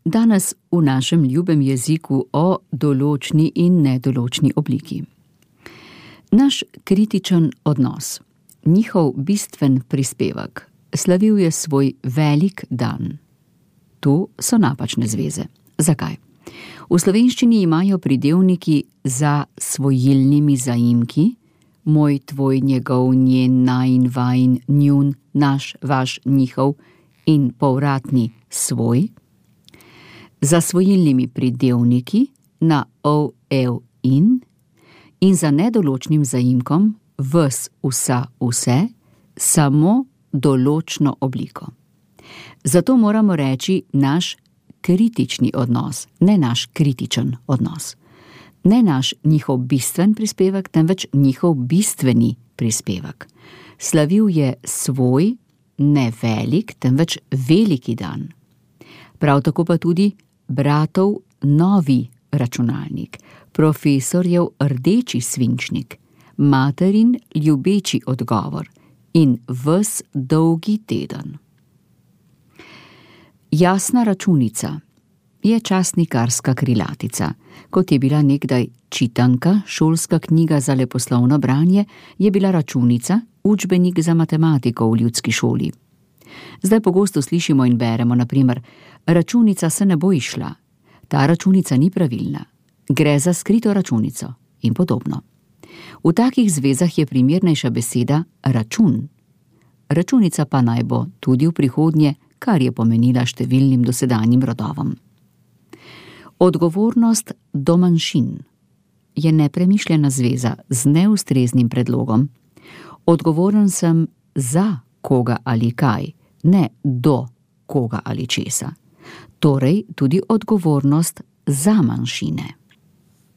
Danes v našem ljubem jeziku o določni in nedoločni obliki. Naš kritičen odnos, njihov bistven prispevek, slavil je svoj velik dan. Tu so napačne zveze. Zakaj? V slovenščini imajo pridevniki za svojilnimi zaimki, moj, tvoj, njegov, njen, najin, vajin, njun, naš, vaš, njihov in povratni svoj, za svojilnimi pridevniki na ov, ev, in za nedoločnim zaimkom ves, vsa, vse, samo določno obliko. Zato moramo reči naš kritični odnos, ne naš kritičen odnos. Ne naš njihov bistven prispevek, temveč njihov bistveni prispevek. Slavil je svoj, ne velik, temveč veliki dan. Prav tako pa tudi bratov novi računalnik, profesorjev rdeči svinčnik, materin ljubeči odgovor in ves dolgi teden. Jasna računica je časnikarska krilatica. Kot je bila nekdaj čitanka, šolska knjiga za leposlovno branje, je bila računica učbenik za matematiko v ljudski šoli. Zdaj pogosto slišimo in beremo, na primer, računica se ne bo izšla, ta računica ni pravilna, gre za skrito računico in podobno. V takih zvezah je primernejša beseda račun. Računica pa naj bo tudi v prihodnje, kar je pomenila številnim dosedanjim rodovom. Odgovornost do manjšin je nepremišljena zveza z neustreznim predlogom. Odgovoren sem za koga ali kaj, ne do koga ali česa. Torej tudi odgovornost za manjšine.